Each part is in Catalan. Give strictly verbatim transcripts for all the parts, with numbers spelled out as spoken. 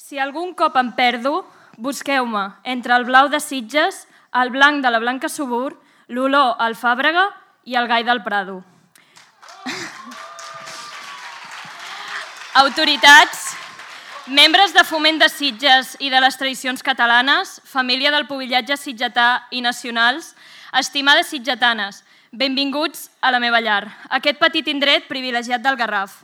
Si algun cop em perdo, busqueu-me entre el blau de Sitges, el blanc de la Blanca Subur, l'olor al Fàbrega i el gai del Prado. Autoritats, membres de Foment de Sitges i de les tradicions catalanes, família del pubillatge sitgetà i nacionals, estimades sitgetanes, benvinguts a la meva llar, aquest petit indret privilegiat del Garraf.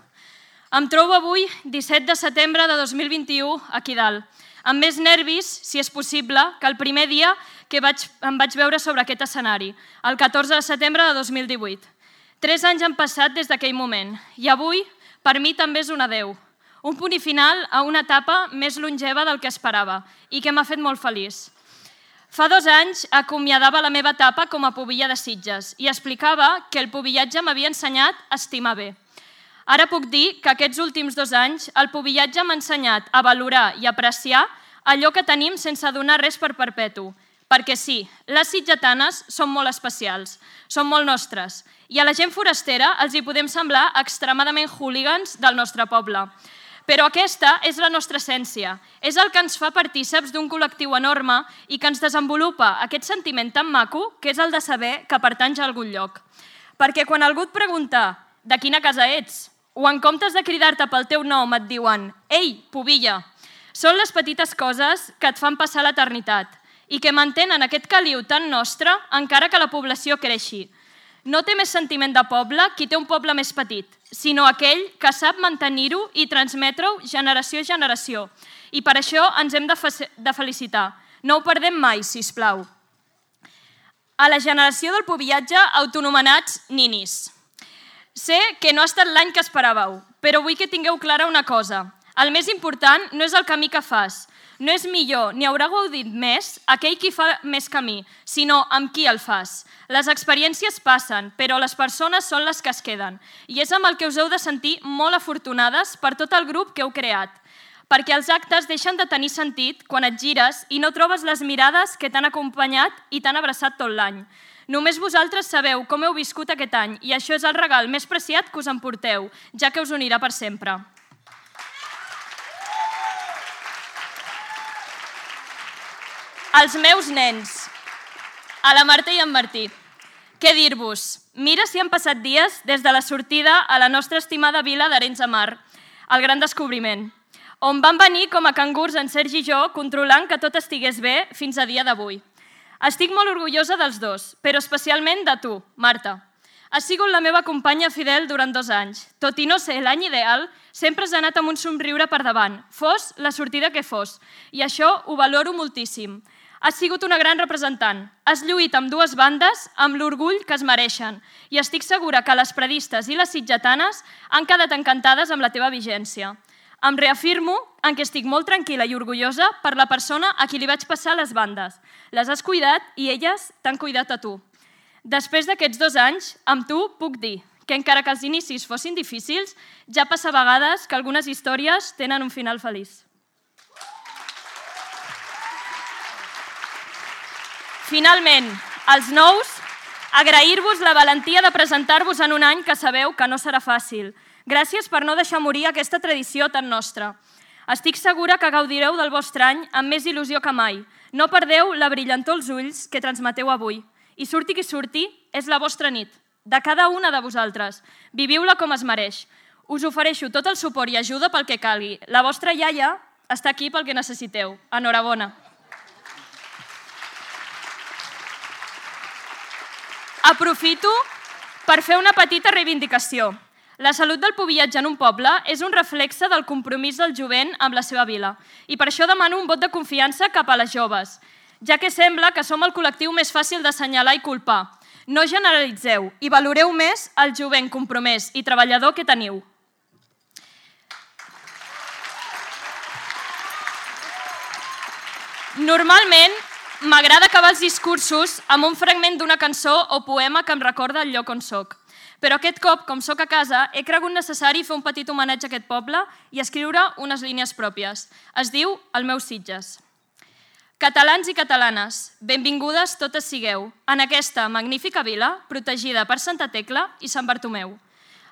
Em trobo avui, disset de setembre de dos mil vint-i-u, aquí dalt, amb més nervis, si és possible, que el primer dia que vaig, em vaig veure sobre aquest escenari, el catorze de setembre de dos mil divuit. Tres anys han passat des d'aquell moment i avui, per mi, també és un adeu. Un punt i final a una etapa més longeva del que esperava i que m'ha fet molt feliç. Fa dos anys acomiadava la meva etapa com a pubilla de Sitges i explicava que el pubillatge m'havia ensenyat a estimar bé. Ara puc dir que aquests últims dos anys el pubillatge m'ha ensenyat a valorar i apreciar allò que tenim sense donar res per perpetu. Perquè sí, les sitgetanes són molt especials, són molt nostres, i a la gent forastera els hi podem semblar extremadament hooligans del nostre poble. Però aquesta és la nostra essència, és el que ens fa partíceps d'un col·lectiu enorme i que ens desenvolupa aquest sentiment tan maco que és el de saber que pertanys a algun lloc. Perquè quan algú et pregunta de quina casa ets, o en comptes de cridar-te pel teu nom et diuen «Ei, pubilla», són les petites coses que et fan passar l'eternitat i que mantenen aquest caliu tan nostre encara que la població creixi. No té més sentiment de poble qui té un poble més petit, sinó aquell que sap mantenir-ho i transmetre-ho generació a generació. I per això ens hem de, de felicitar. No ho perdem mai, sisplau. A la generació del pubillatge autonomenats ninis. Sé que no ha estat l'any que esperàveu, però vull que tingueu clara una cosa. El més important no és el camí que fas, no és millor ni haurà gaudit més aquell qui fa més camí, sinó amb qui el fas. Les experiències passen, però les persones són les que es queden. I és amb el que us heu de sentir molt afortunades per tot el grup que heu creat. Perquè els actes deixen de tenir sentit quan et gires i no trobes les mirades que t'han acompanyat i t'han abraçat tot l'any. Només vosaltres sabeu com heu viscut aquest any i això és el regal més preciat que us emporteu, ja que us unirà per sempre. Els meus nens, a la Marta i en Martí. Què dir-vos? Mira si han passat dies des de la sortida a la nostra estimada vila d'Arenys de Mar, el gran descobriment, on van venir com a cangurs en Sergi i jo controlant que tot estigués bé fins a dia d'avui. Estic molt orgullosa dels dos, però especialment de tu, Marta. Has sigut la meva companya fidel durant dos anys. Tot i no ser l'any ideal, sempre has anat amb un somriure per davant, fos la sortida que fos, i això ho valoro moltíssim. Has sigut una gran representant. Has lluit amb dues bandes amb l'orgull que es mereixen i estic segura que les predistes i les sitgetanes han quedat encantades amb la teva vigència. Em reafirmo en què estic molt tranquil·la i orgullosa per la persona a qui li vaig passar les bandes. Les has cuidat i elles t'han cuidat a tu. Després d'aquests dos anys, amb tu puc dir que encara que els inicis fossin difícils, ja passa a vegades que algunes històries tenen un final feliç. Finalment, als nous, agrair-vos la valentia de presentar-vos en un any que sabeu que no serà fàcil. Gràcies per no deixar morir aquesta tradició tan nostra. Estic segura que gaudireu del vostre any amb més il·lusió que mai. No perdeu la brillantor als ulls que transmeteu avui. I surti qui surti, és la vostra nit, de cada una de vosaltres. Viviu-la com es mereix. Us ofereixo tot el suport i ajuda pel que calgui. La vostra iaia està aquí pel que necessiteu. Enhorabona. Aprofito per fer una petita reivindicació. La salut del pubillatge en un poble és un reflexe del compromís del jovent amb la seva vila i per això demano un vot de confiança cap a les joves, ja que sembla que som el col·lectiu més fàcil d'assenyalar i culpar. No generalitzeu i valoreu més el jovent compromès i treballador que teniu. Normalment, m'agrada acabar els discursos amb un fragment d'una cançó o poema que em recorda el lloc on soc. Però aquest cop, com soc a casa, he cregut necessari fer un petit homenatge a aquest poble i escriure unes línies pròpies. Es diu El meu Sitges. Catalans i catalanes, benvingudes totes sigueu en aquesta magnífica vila protegida per Santa Tecla i Sant Bartomeu.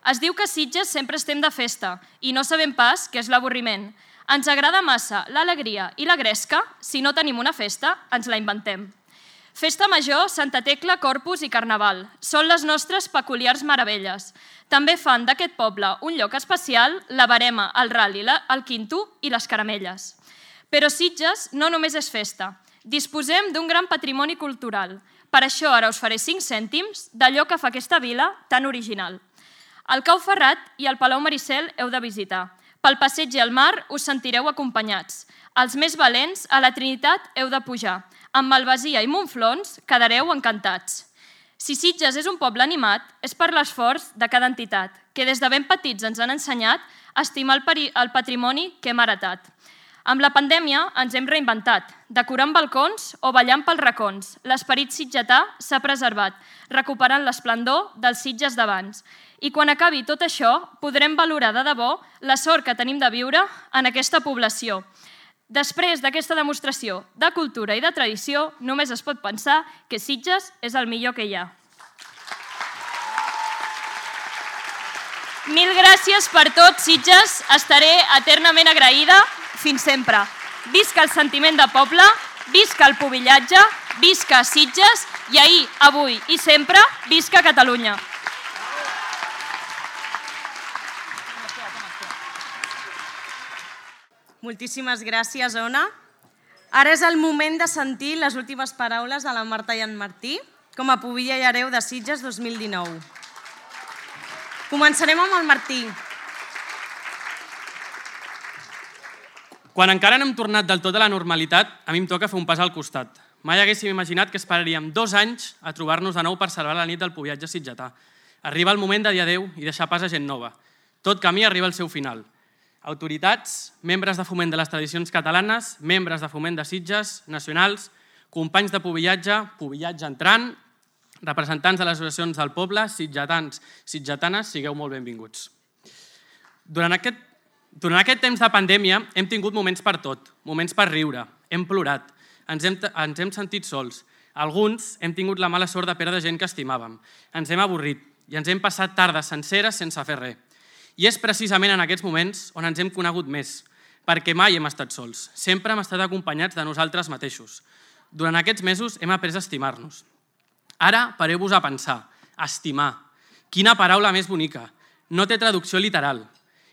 Es diu que a Sitges sempre estem de festa i no sabem pas què és l'avorriment. Ens agrada massa l'alegria i la gresca, si no tenim una festa, ens la inventem. Festa Major, Santa Tecla, Corpus i Carnaval són les nostres peculiars meravelles. També fan d'aquest poble un lloc especial la verema, el ral·li, el quinto i les caramelles. Però Sitges no només és festa. Disposem d'un gran patrimoni cultural. Per això ara us faré cinc cèntims d'allò que fa aquesta vila tan original. El Cau Ferrat i el Palau Maricel heu de visitar. Pel passeig i al mar us sentireu acompanyats. Els més valents, a la Trinitat heu de pujar. Amb Malvasia i Montflons quedareu encantats. Si Sitges és un poble animat, és per l'esforç de cada entitat, que des de ben petits ens han ensenyat a estimar el patrimoni que hem heretat. Amb la pandèmia ens hem reinventat, decorant balcons o ballant pels racons. L'esperit sitgetà s'ha preservat, recuperant l'esplendor dels Sitges d'abans. I quan acabi tot això, podrem valorar de debò la sort que tenim de viure en aquesta població. Després d'aquesta demostració de cultura i de tradició, només es pot pensar que Sitges és el millor que hi ha. Mil gràcies per tot, Sitges. Estaré eternament agraïda. Fins sempre. Visca el sentiment de poble, visca el pubillatge, visca Sitges i ahir, avui i sempre, visca Catalunya. Moltíssimes gràcies, Ona. Ara és el moment de sentir les últimes paraules de la Marta i en Martí com a pubilla i hereu de Sitges dos mil dinou. Començarem amb el Martí. Quan encara no hem tornat del tot a la normalitat, a mi em toca fer un pas al costat. Mai haguéssim imaginat que esperaríem dos anys a trobar-nos de nou per celebrar la nit del pubillatge sitgetà. Arriba el moment de dir adeu i deixar pas a gent nova. Tot camí arriba al seu final. Autoritats, membres de foment de les tradicions catalanes, membres de foment de Sitges, nacionals, companys de pubillatge, pubillatge entrant, representants de les associacions del poble, sitgetans, sitgetanes, sigueu molt benvinguts. Durant aquest Durant aquest temps de pandèmia hem tingut moments per tot, moments per riure, hem plorat, ens hem, ens hem sentit sols. Alguns hem tingut la mala sort de perdre gent que estimàvem, ens hem avorrit i ens hem passat tardes senceres sense fer res. I és precisament en aquests moments on ens hem conegut més, perquè mai hem estat sols, sempre hem estat acompanyats de nosaltres mateixos. Durant aquests mesos hem après a estimar-nos. Ara pareu-vos a pensar, estimar. Quina paraula més bonica, no té traducció literal.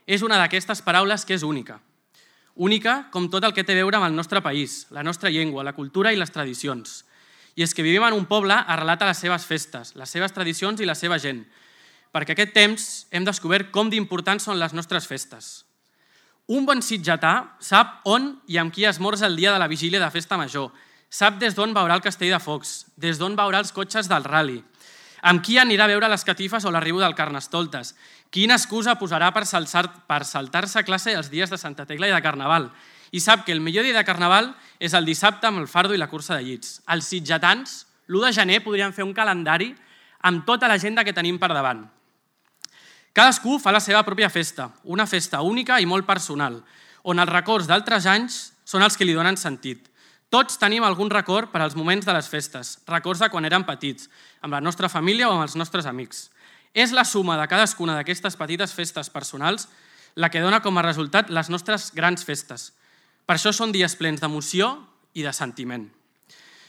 És una d'aquestes paraules que és única. Única com tot el que té a veure amb el nostre país, la nostra llengua, la cultura i les tradicions. I és que vivim en un poble arrelat a les seves festes, les seves tradicions i la seva gent, perquè aquest temps hem descobert com d'importants són les nostres festes. Un bon sitgetà sap on i amb qui esmorza el dia de la vigília de festa major, sap des d'on veurà el castell de focs, des d'on veurà els cotxes del ral·li, amb qui anirà a veure les catifes o l'arribo del Carnestoltes, quina excusa posarà per saltar-se a classe els dies de Santa Tecla i de Carnaval. I sap que el millor dia de Carnaval és el dissabte amb el fardo i la cursa de llits. Els sitgetans, l'u de gener, podrien fer un calendari amb tota l'agenda que tenim per davant. Cadascú fa la seva pròpia festa, una festa única i molt personal, on els records d'altres anys són els que li donen sentit. Tots tenim algun record per als moments de les festes, records de quan érem petits, amb la nostra família o amb els nostres amics. És la suma de cadascuna d'aquestes petites festes personals la que dona com a resultat les nostres grans festes. Per això són dies plens d'emoció i de sentiment.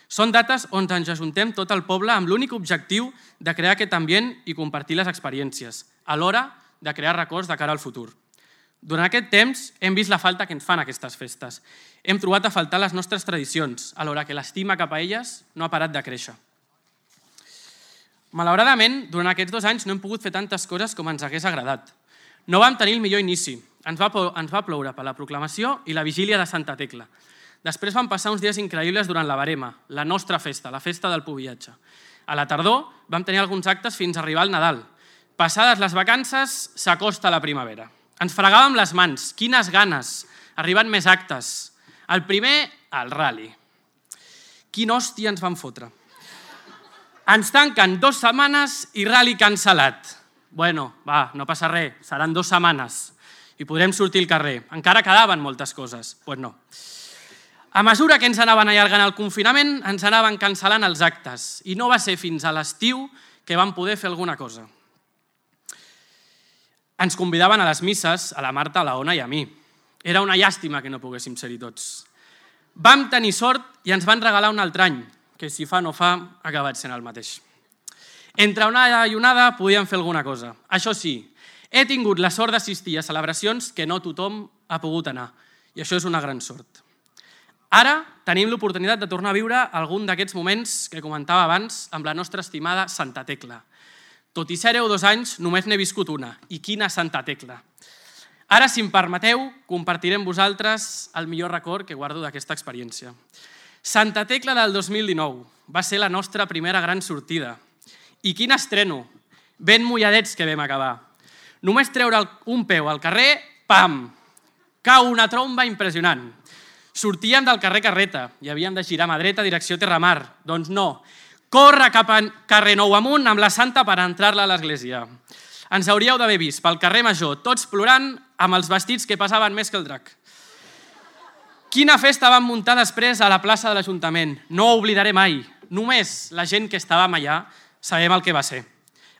Són dates on ens ajuntem tot el poble amb l'únic objectiu de crear aquest ambient i compartir les experiències, alhora de crear records de cara al futur. Durant aquest temps hem vist la falta que ens fan aquestes festes. Hem trobat a faltar les nostres tradicions, alhora que l'estima cap a elles no ha parat de créixer. Malauradament, durant aquests dos anys no hem pogut fer tantes coses com ens hagués agradat. No vam tenir el millor inici. Ens va, ens va ploure per la proclamació i la vigília de Santa Tecla. Després van passar uns dies increïbles durant la verema, la nostra festa, la festa del pubillatge. A la tardor vam tenir alguns actes fins a arribar al Nadal. Passades les vacances, s'acosta la primavera. Ens fregàvem les mans, quines ganes, arribant més actes. El primer, el ral·li. Quina hòstia ens van fotre. Ens tanquen dues setmanes i ral·li cancel·lat. Bueno, va, no passa res, seran dues setmanes i podrem sortir al carrer. Encara quedaven moltes coses. Doncs pues no. A mesura que ens anaven allargant el confinament, ens anaven cancel·lant els actes i no va ser fins a l'estiu que vam poder fer alguna cosa. Ens convidaven a les misses, a la Marta, a la Ona i a mi. Era una llàstima que no poguéssim ser-hi tots. Vam tenir sort i ens van regalar un altre any, que si fa no fa, ha acabat sent el mateix. Entre onada i onada podíem fer alguna cosa. Això sí, he tingut la sort d'assistir a celebracions que no tothom ha pogut anar, i això és una gran sort. Ara tenim l'oportunitat de tornar a viure algun d'aquests moments que comentava abans amb la nostra estimada Santa Tecla. Tot i ser-ho dos anys, només n'he viscut una, i quina Santa Tecla. Ara, si em permeteu, compartiré amb vosaltres el millor record que guardo d'aquesta experiència. Santa Tecla del dos mil dinou va ser la nostra primera gran sortida. I quin estreno! Ben mulladets que vam acabar. Només treure un peu al carrer, pam! Cau una tromba impressionant. Sortíem del carrer Carreta i havíem de girar mà dreta direcció Terramar. Doncs no, corre cap a carrer Nou amunt amb la Santa per entrar-la a l'església. Ens hauríeu d'haver vist pel carrer Major, tots plorant amb els vestits que passaven més que el drac. Quina festa vam muntar després a la plaça de l'Ajuntament. No ho oblidaré mai. Només la gent que estàvem allà sabem el que va ser.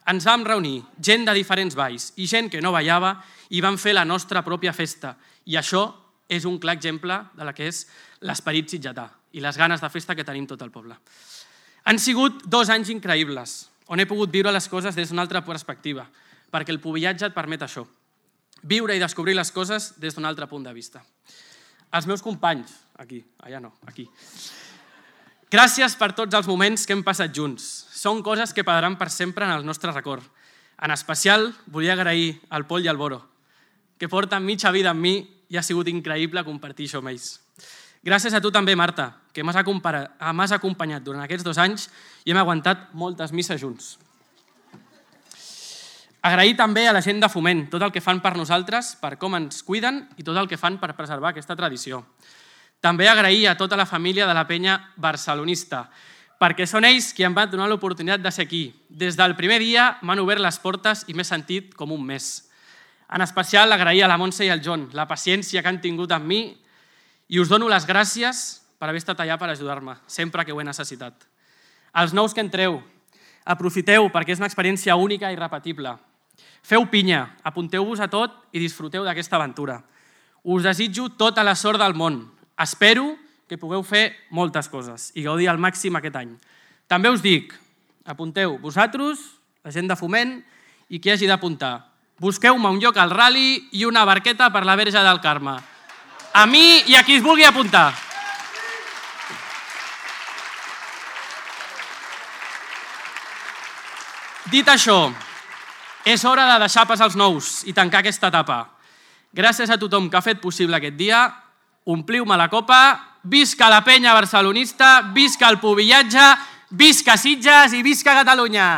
Ens vam reunir gent de diferents balls i gent que no ballava i vam fer la nostra pròpia festa. I això és un clar exemple de la que és l'esperit sitgetà i les ganes de festa que tenim tot el poble. Han sigut dos anys increïbles, on he pogut viure les coses des d'una altra perspectiva, perquè el pubillatge et permet això, viure i descobrir les coses des d'un altre punt de vista. Els meus companys, aquí, allà no, aquí. Gràcies per tots els moments que hem passat junts. Són coses que quedaran per sempre en el nostre record. En especial, volia agrair al Pol i al Boro, que porten mitja vida amb mi i ha sigut increïble compartir això amb ells. Gràcies a tu també, Marta, que m'has acompanyat durant aquests dos anys i hem aguantat moltes misses junts. Agrair també a la gent de Foment tot el que fan per nosaltres, per com ens cuiden i tot el que fan per preservar aquesta tradició. També agrair a tota la família de la penya barcelonista, perquè són ells qui em van donar l'oportunitat de ser aquí. Des del primer dia m'han obert les portes i m'he sentit com un mes. En especial agrair a la Montse i al John la paciència que han tingut amb mi i us dono les gràcies per haver estat allà per ajudar-me, sempre que ho he necessitat. Els nous que entreu, aprofiteu perquè és una experiència única i irrepetible. Feu pinya, apunteu-vos a tot i disfruteu d'aquesta aventura. Us desitjo tota la sort del món. Espero que pugueu fer moltes coses i gaudir al màxim aquest any. També us dic, apunteu vosaltres, la gent de Foment i qui hagi d'apuntar. Busqueu-me un lloc al ral·li i una barqueta per la Verge del Carme. A mi i a qui es vulgui apuntar. Dit això, és hora de deixar passar els nous i tancar aquesta etapa. Gràcies a tothom que ha fet possible aquest dia, ompliu-me la copa, visca la penya barcelonista, visca el pubillatge, visca Sitges i visca Catalunya!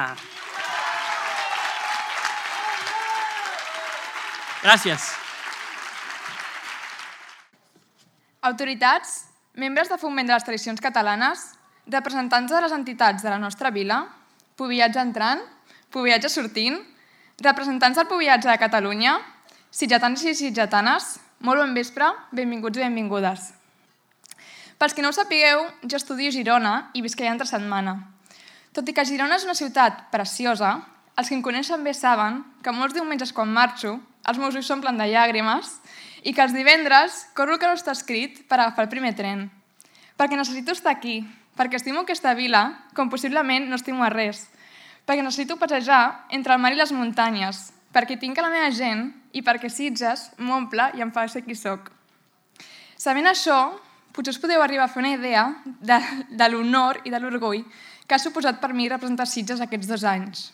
Gràcies. Autoritats, membres de Foment de les Tradicions Catalanes, representants de les entitats de la nostra vila, pubillatge entrant, pubillatge sortint, representants del pubillatge de Catalunya, sitgetans i sitgetanes, molt bon vespre, benvinguts i benvingudes. Pels que no ho sapigueu, jo estudio a Girona i visc allà entre setmana. Tot i que Girona és una ciutat preciosa, els que em coneixen bé saben que molts diumenges quan marxo, els meus ulls s'omplen de llàgrimes i que els divendres corro el que no està escrit per agafar el primer tren. Perquè necessito estar aquí, perquè estimo aquesta vila com possiblement no estimo a res, perquè necessito passejar entre el mar i les muntanyes, perquè tinc a la meva gent i perquè Sitges m'omple i em fa ser qui soc. Sabent això, potser us podeu arribar a fer una idea de, de l'honor i de l'orgull que ha suposat per mi representar Sitges aquests dos anys.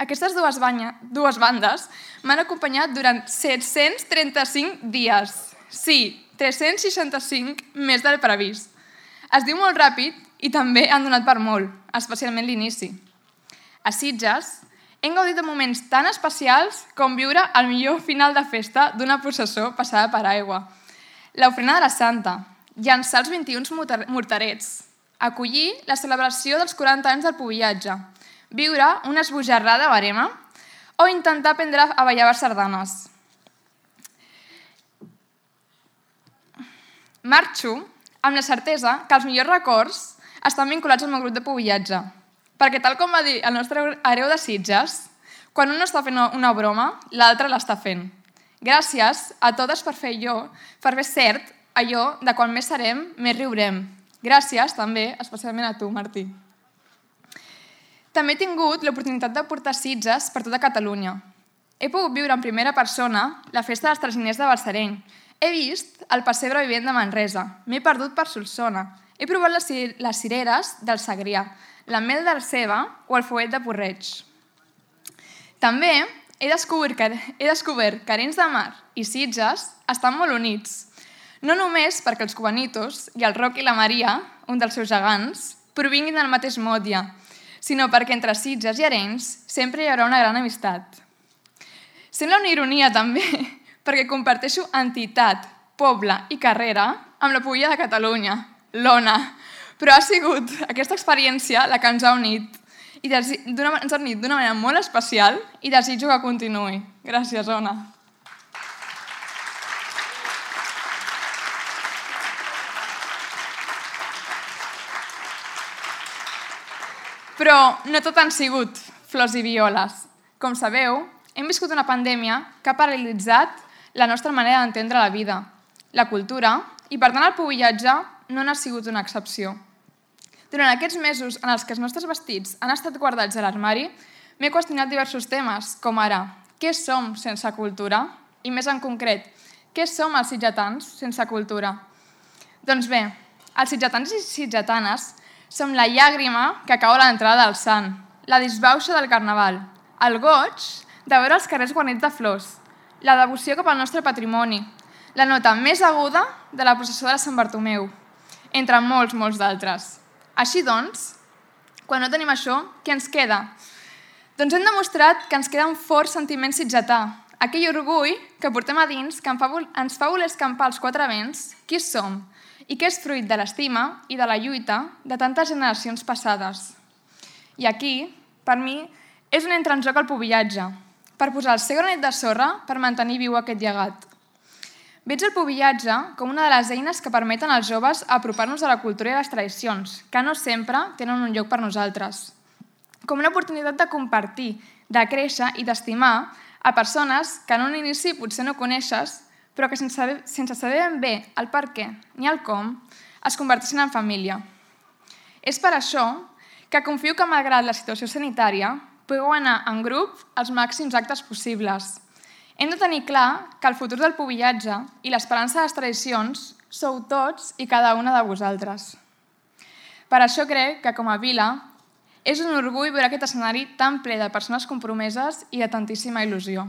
Aquestes dues, banya, dues bandes m'han acompanyat durant set-cents trenta-cinc dies. Sí, tres-cents seixanta-cinc més del previst. Es diu molt ràpid i també han donat per molt, especialment l'inici. A Sitges hem gaudit de moments tan especials com viure el millor final de festa d'una processó passada per aigua. L'ofrena de la Santa, llançar els vint-i-un morterets, acollir la celebració dels quaranta anys del pubillatge, viure una esbojarrada barema o intentar aprendre a ballar sardanes. Marxo amb la certesa que els millors records estan vinculats al meu grup de pubillatge, perquè tal com va dir el nostre hereu de Sitges, quan un no està fent una broma, l'altre l'està fent. Gràcies a totes per fer allò, per fer cert allò de quan més serem, més riurem. Gràcies també, especialment a tu, Martí. També he tingut l'oportunitat de portar Sitges per tota Catalunya. He pogut viure en primera persona la festa dels traginers de Balsareny. He vist el pessebre vivent de Manresa. M'he perdut per Solsona. He provat les, les cireres del Segrià, la mel del Ceba o el fuet de Porreig. També he descobert que, he descobert que Arenys de Mar i Sitges estan molt units. No només perquè els cubanitos i el Roc i la Maria, un dels seus gegants, provinguin del mateix motlle, sinó perquè entre Sitges i Arenys sempre hi haurà una gran amistat. Sembla una ironia també, perquè comparteixo entitat, poble i carrera amb la Pulla de Catalunya, l'Ona, però ha sigut aquesta experiència la que ens ha unit i ens ha unit d'una manera molt especial i desitjo que continuï. Gràcies, Ona. Però no tot han sigut flors i violes. Com sabeu, hem viscut una pandèmia que ha paralitzat la nostra manera d'entendre la vida, la cultura, i per tant el pubillatge no n'ha sigut una excepció. Durant aquests mesos en els que els nostres vestits han estat guardats a l'armari, m'he qüestionat diversos temes, com ara, què som sense cultura? I més en concret, què som els sitgetans sense cultura? Doncs bé, els sitgetans i sitgetanes som la llàgrima que cau a l'entrada del sant, la disbauxa del carnaval, el goig de veure els carrers guarnits de flors, la devoció cap al nostre patrimoni, la nota més aguda de la processó de Sant Bartomeu, entre molts, molts d'altres. Així doncs, quan no tenim això, què ens queda? Doncs hem demostrat que ens queda un fort sentiment sitgetà, aquell orgull que portem a dins que ens fa voler escampar els quatre vents qui som i que és fruit de l'estima i de la lluita de tantes generacions passades. I aquí, per mi, és on entra en joc el pubillatge, per posar el seu granet de sorra per mantenir viu aquest llegat. Veig el pubillatge com una de les eines que permeten als joves apropar-nos a la cultura i a les tradicions, que no sempre tenen un lloc per nosaltres. Com una oportunitat de compartir, de créixer i d'estimar a persones que en un inici potser no coneixes, però que sense, sense saber ben bé el per què ni el com, es converteixen en família. És per això que confio que, malgrat la situació sanitària, pugueu anar en grup als màxims actes possibles. Hem de tenir clar que el futur del pubillatge i l'esperança de les tradicions sou tots i cada una de vosaltres. Per això crec que, com a vila, és un orgull veure aquest escenari tan ple de persones compromeses i de tantíssima il·lusió.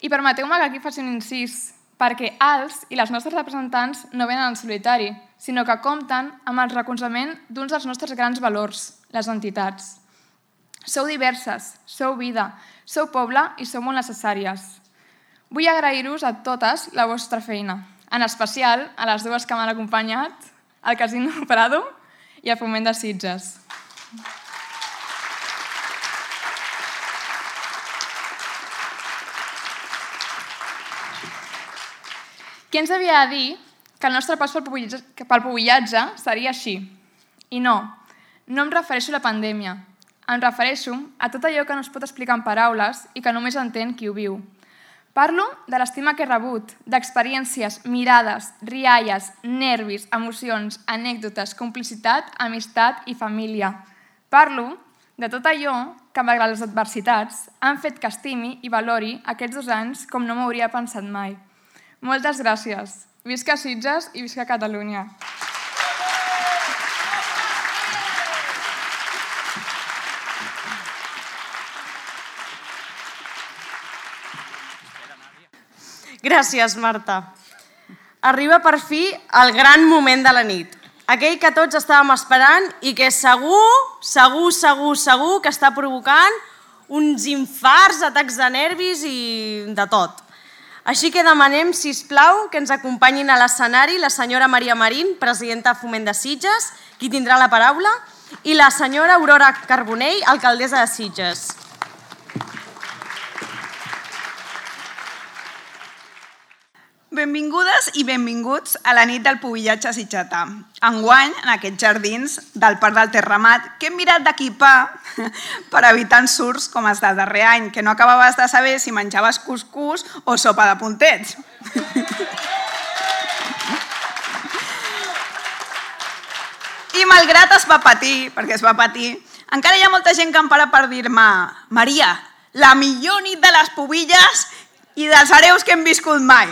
I permeteu-me que aquí faci un incís, perquè els i les nostres representants no venen en solitari, sinó que compten amb el recolzament d'uns dels nostres grans valors, les entitats. Sou diverses, sou vida, sou poble i sou molt necessàries. Vull agrair-vos a totes la vostra feina, en especial a les dues que m'han acompanyat, al Casino Prado i al Foment de Sitges. Qui ens havia de dir que el nostre pas pel pubillatge seria així? I no, no em refereixo a la pandèmia. Em refereixo a tot allò que no es pot explicar en paraules i que només entén qui ho viu. Parlo de l'estima que he rebut, d'experiències, mirades, rialles, nervis, emocions, anècdotes, complicitat, amistat i família. Parlo de tot allò que, malgrat les adversitats, han fet que estimi i valori aquests dos anys com no m'hauria pensat mai. Moltes gràcies. Visca Sitges i visca Catalunya. Gràcies, Marta. Arriba per fi el gran moment de la nit. Aquell que tots estàvem esperant i que segur, segur, segur, segur que està provocant uns infarts, atacs de nervis i de tot. Així que demanem, sisplau, que ens acompanyin a l'escenari la senyora Maria Marín, presidenta de Foment de Sitges, qui tindrà la paraula, i la senyora Aurora Carbonell, alcaldessa de Sitges. Benvingudes i benvinguts a la nit del pubillatge sitgetà. Enguany, en aquests jardins del Parc del Terramat, que hem mirat d'equipar per evitar ensurts com els del darrer any, que no acabaves de saber si menjaves cuscús o sopa de puntets. I malgrat es va patir, perquè es va patir, encara hi ha molta gent que em para per dir-me Maria, la millor nit de les pubilles i dels hereus que hem viscut mai.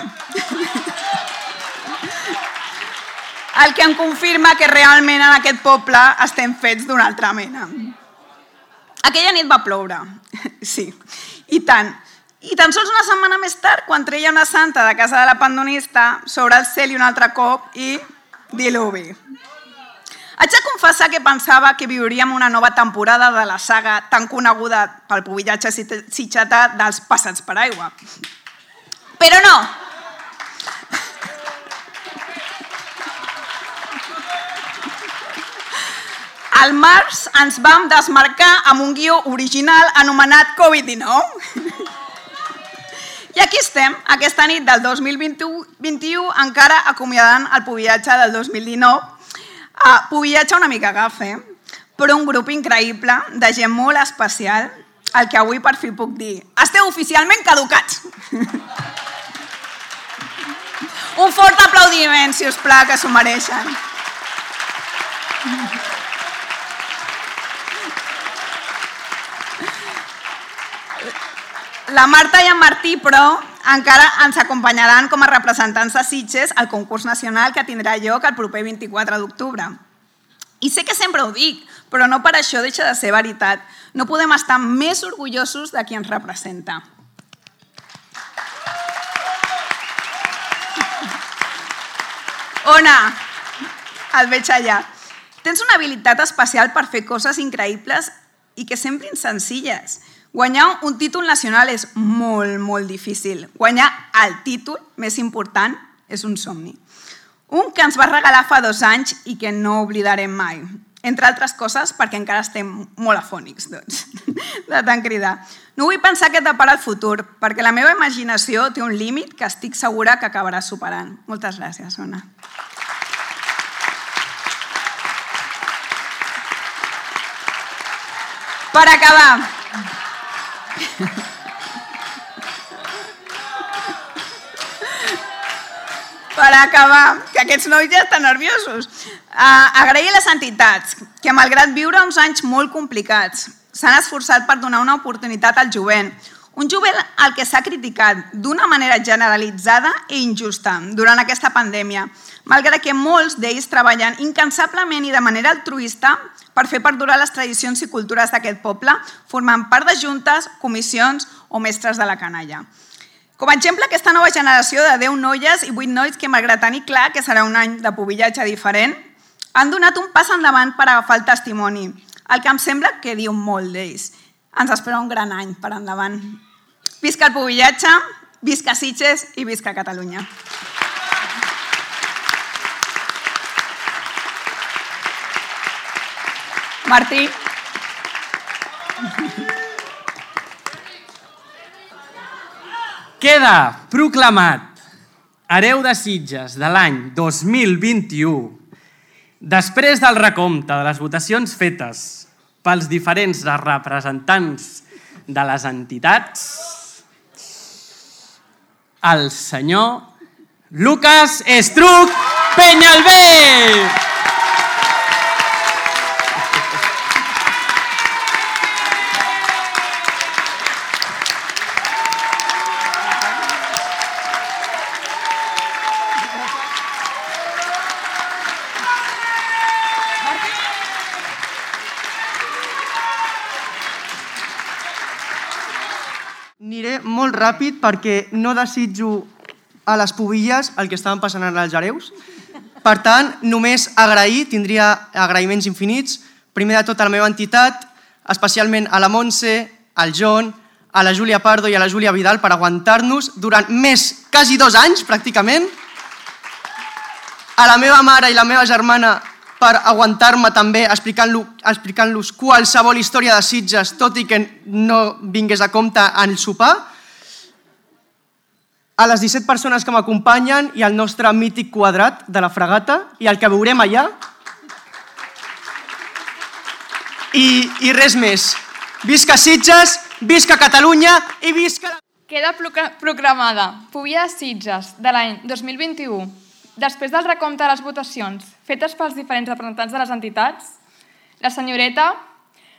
El que em confirma que realment en aquest poble estem fets d'una altra mena. Aquella nit va ploure, sí, i tant. I tan sols una setmana més tard, quan treia una santa de casa de la pandonista, sobre el cel i un altre cop i diluvi. Haig de confessar que pensava que viuríem una nova temporada de la saga tan coneguda pel pubillatge sitgetà dels passats per aigua. Però no! Al març ens vam desmarcar amb un guió original anomenat covid dinou. I aquí estem, aquesta nit del dos mil vint-i-u, encara acomiadant el pubillatge del dos mil dinou. Uh, pubillatge una mica gafe, però un grup increïble de gent molt especial, el que avui per fi puc dir. Esteu oficialment caducats. Un fort aplaudiment, si us plau, que s'ho mereixen. La Marta i en Martí, però, encara ens acompanyaran com a representants de Sitges al concurs nacional que tindrà lloc el proper vint-i-quatre d'octubre. I sé que sempre ho dic, però no per això deixa de ser veritat. No podem estar més orgullosos de qui ens representa. Ona, el veig allà. Tens una habilitat especial per fer coses increïbles i que semblin senzilles. Guanyar un títol nacional és molt, molt difícil. Guanyar el títol més important és un somni. Un que ens va regalar fa dos anys i que no oblidarem mai. Entre altres coses perquè encara estem molt afònics, doncs, de tant cridar. No vull pensar què et depara el futur, perquè la meva imaginació té un límit que estic segura que acabarà superant. Moltes gràcies, Ona. Per acabar, Per acabar, que aquests nois ja estan nerviosos, agrair a les entitats que, malgrat viure uns anys molt complicats, s'han esforçat per donar una oportunitat al jovent. Un jovent al que s'ha criticat d'una manera generalitzada i injusta durant aquesta pandèmia, malgrat que molts d'ells treballen incansablement i de manera altruista per fer perdurar les tradicions i cultures d'aquest poble, formant part de juntes, comissions o mestres de la canalla. Com a exemple, aquesta nova generació de deu noies i vuit nois que, malgrat tenir clar que serà un any de pubillatge diferent, han donat un pas endavant per agafar el testimoni, el que em sembla que diu molt d'ells. Ens espera un gran any per endavant. Visca el pubillatge, visca Sitges i visca Catalunya. Martí. Queda proclamat hereu de Sitges de l'any dos mil vint-i-u, després del recompte de les votacions fetes pels diferents representants de les entitats, el senyor Lucas Estruch Peñalver. Aniré molt ràpid perquè no desitjo a les pubilles el que estaven passant als hereus. Per tant, només agrair, tindria agraïments infinits, primer de tot a la meva entitat, especialment a la Montse, al John, a la Júlia Pardo i a la Júlia Vidal per aguantar-nos durant més, quasi dos anys, pràcticament. A la meva mare i la meva germana per aguantar-me també explicant-los qualsevol història de Sitges, tot i que no vingués a compte en el sopar. a les disset persones que m'acompanyen i al nostre mític quadrat de la fregata i el que veurem allà. I, i res més. Visca Sitges, visca Catalunya i visca... Queda proclamada Pubilla de Sitges de l'any dos mil vint-i-u. Després del recompte de les votacions fetes pels diferents representants de les entitats, la senyoreta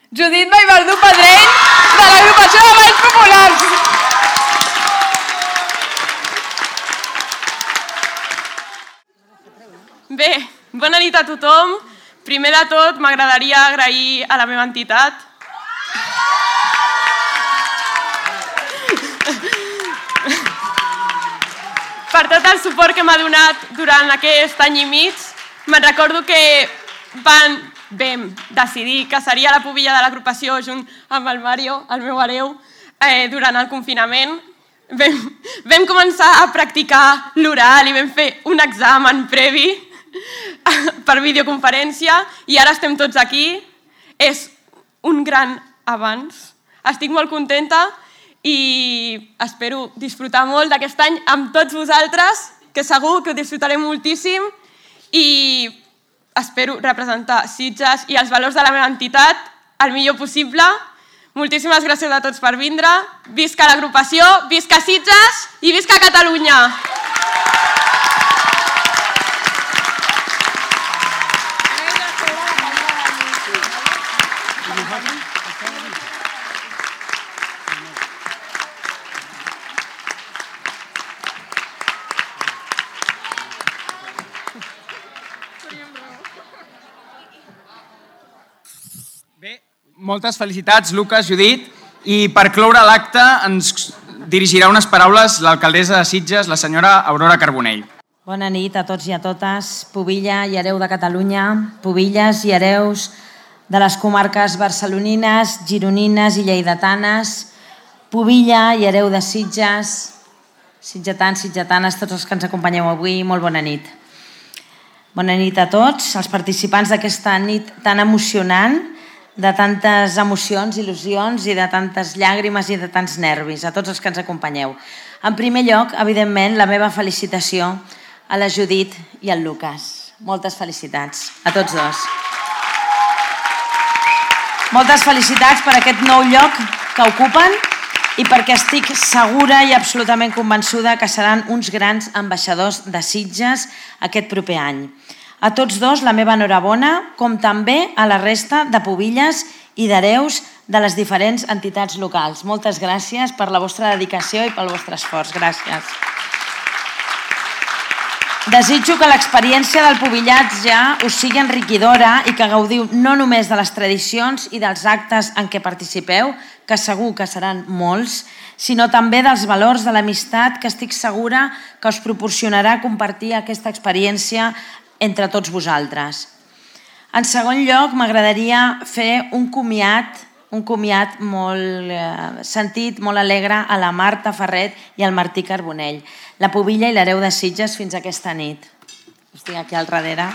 Judit Vallverdú Pedrell, de l'Agrupació de Valls Populars. Bé, bona nit a tothom. Primer de tot, m'agradaria agrair a la meva entitat per tot el suport que m'ha donat durant aquest any i mig. Me'n recordo que van, vam decidir que seria la pubilla de l'agrupació junt amb el Mario, el meu hereu, eh, durant el confinament. Vam, vam començar a practicar l'oral i vam fer un examen previ per videoconferència i ara estem tots aquí. És un gran avanç. Estic molt contenta i espero disfrutar molt d'aquest any amb tots vosaltres, que segur que ho disfrutarem moltíssim i espero representar Sitges i els valors de la meva entitat el millor possible. Moltíssimes gràcies a tots per vindre. Visca l'agrupació, visca Sitges i visca Catalunya! Moltes felicitats, Lucas, Judit. I per cloure l'acte ens dirigirà unes paraules l'alcaldessa de Sitges, la senyora Aurora Carbonell. Bona nit a tots i a totes. Pubilla i hereu de Catalunya, pubilles i hereus de les comarques barcelonines, gironines i lleidatanes, pubilla i hereu de Sitges, sitgetans, sitgetanes, tots els que ens acompanyeu avui, molt bona nit. Bona nit a tots, els participants d'aquesta nit tan emocionant, de tantes emocions, il·lusions i de tantes llàgrimes i de tants nervis, a tots els que ens acompanyeu. En primer lloc, evidentment, la meva felicitació a la Judit i al Lucas. Moltes felicitats a tots dos. Moltes felicitats per aquest nou lloc que ocupen i perquè estic segura i absolutament convençuda que seran uns grans ambaixadors de Sitges aquest proper any. A tots dos la meva enhorabona, com també a la resta de pubilles i d'hereus de les diferents entitats locals. Moltes gràcies per la vostra dedicació i pel vostre esforç. Gràcies. Desitjo que l'experiència del pubillatge us sigui enriquidora i que gaudiu no només de les tradicions i dels actes en què participeu, que segur que seran molts, sinó també dels valors de l'amistat que estic segura que us proporcionarà compartir aquesta experiència entre tots vosaltres. En segon lloc, m'agradaria fer un comiat, un comiat molt eh, sentit, molt alegre a la Marta Ferret i al Martí Carbonell, la pubilla i l'hereu de Sitges fins aquesta nit. Estic aquí al darrere.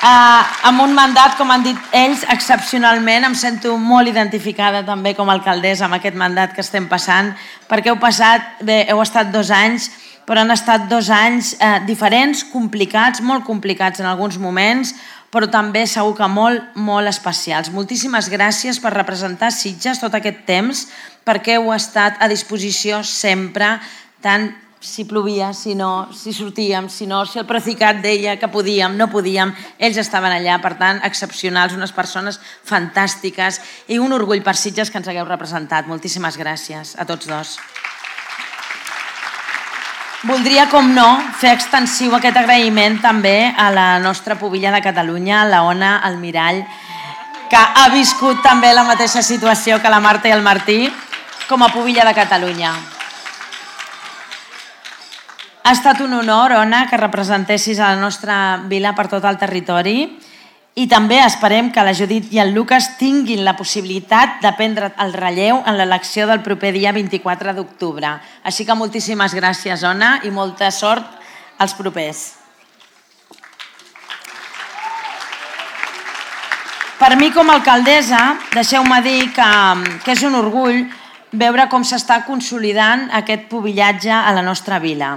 Uh, amb un mandat, com han dit ells, excepcionalment, em sento molt identificada també com a alcaldessa amb aquest mandat que estem passant, perquè heu passat, bé, heu estat dos anys, però han estat dos anys eh, diferents, complicats, molt complicats en alguns moments, però també segur que molt, molt especials. Moltíssimes gràcies per representar Sitges tot aquest temps, perquè heu estat a disposició sempre, tant si plovia, si no, si sortíem, si no, si el Procicat deia que podíem, no podíem, ells estaven allà, per tant, excepcionals, unes persones fantàstiques i un orgull per Sitges que ens hagueu representat. Moltíssimes gràcies a tots dos. Voldria, com no, fer extensiu aquest agraïment també a la nostra pubilla de Catalunya, la Ona Almirall, que ha viscut també la mateixa situació que la Marta i el Martí com a pubilla de Catalunya. Ha estat un honor, Ona, que representessis a la nostra vila per tot el territori i també esperem que la Judit i el Lucas tinguin la possibilitat de prendre el relleu en l'elecció del proper dia vint-i-quatre d'octubre. Així que moltíssimes gràcies, Ona, i molta sort als propers. Per mi, com a alcaldessa, deixeu-me dir que, que és un orgull veure com s'està consolidant aquest pubillatge a la nostra vila.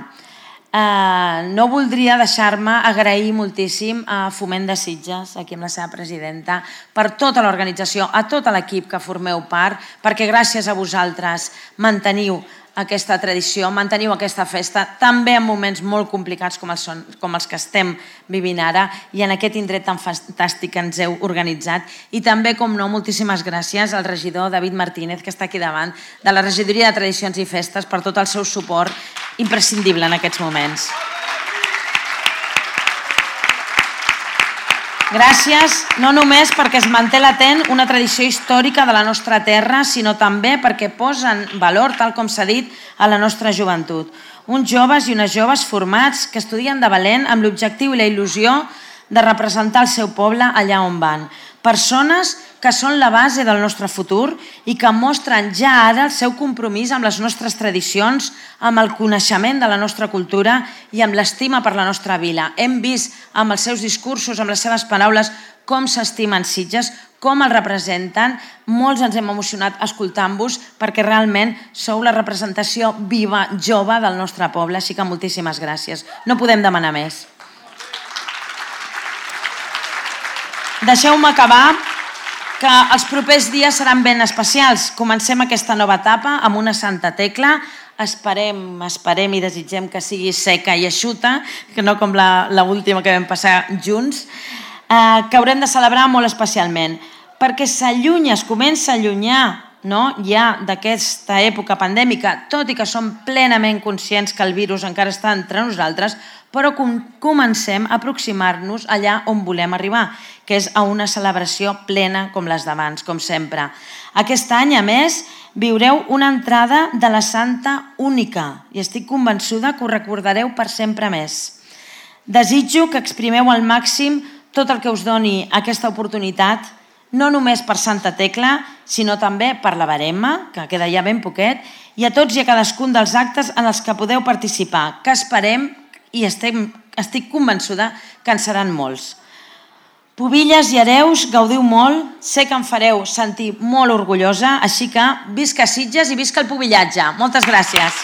No voldria deixar-me agrair moltíssim a Foment de Sitges, aquí amb la seva presidenta, per tota l'organització, a tot l'equip que formeu part, perquè gràcies a vosaltres manteniu aquesta tradició, manteniu aquesta festa, també en moments molt complicats com els, són, com els que estem vivint ara i en aquest indret tan fantàstic que ens heu organitzat. I també, com no, moltíssimes gràcies al regidor David Martínez, que està aquí davant, de la Regidoria de Tradicions i Festes, per tot el seu suport imprescindible en aquests moments. Gràcies, no només perquè es manté latent una tradició històrica de la nostra terra, sinó també perquè posen valor, tal com s'ha dit, a la nostra joventut. Uns joves i unes joves formats que estudien de valent amb l'objectiu i la il·lusió de representar el seu poble allà on van. Persones que són la base del nostre futur i que mostren ja ara el seu compromís amb les nostres tradicions, amb el coneixement de la nostra cultura i amb l'estima per la nostra vila. Hem vist amb els seus discursos, amb les seves paraules, com s'estimen Sitges, com el representen. Molts ens hem emocionat escoltant-vos perquè realment sou la representació viva, jove del nostre poble, així que moltíssimes gràcies. No podem demanar més. Deixeu-me acabar que els propers dies seran ben especials. Comencem aquesta nova etapa amb una Santa Tecla. Esperem, esperem i desitgem que sigui seca i eixuta, que no com l'última que vam passar junts, que haurem de celebrar molt especialment, perquè s'allunya, es comença a allunyar ja d'aquesta època pandèmica, tot i que som plenament conscients que el virus encara està entre nosaltres, però comencem a aproximar-nos allà on volem arribar, que és a una celebració plena com les d'abans, com sempre. Aquest any, a més, viureu una entrada de la Santa única i estic convençuda que ho recordareu per sempre més. Desitjo que exprimeu al màxim tot el que us doni aquesta oportunitat, no només per Santa Tecla, sinó també per la Verema, que queda ja ben poquet, i a tots i a cadascun dels actes en els que podeu participar, que esperem i estic convençuda que en seran molts. Pubilles i hereus, gaudiu molt, sé que em fareu sentir molt orgullosa, així que visca Sitges i visca el pubillatge. Moltes gràcies.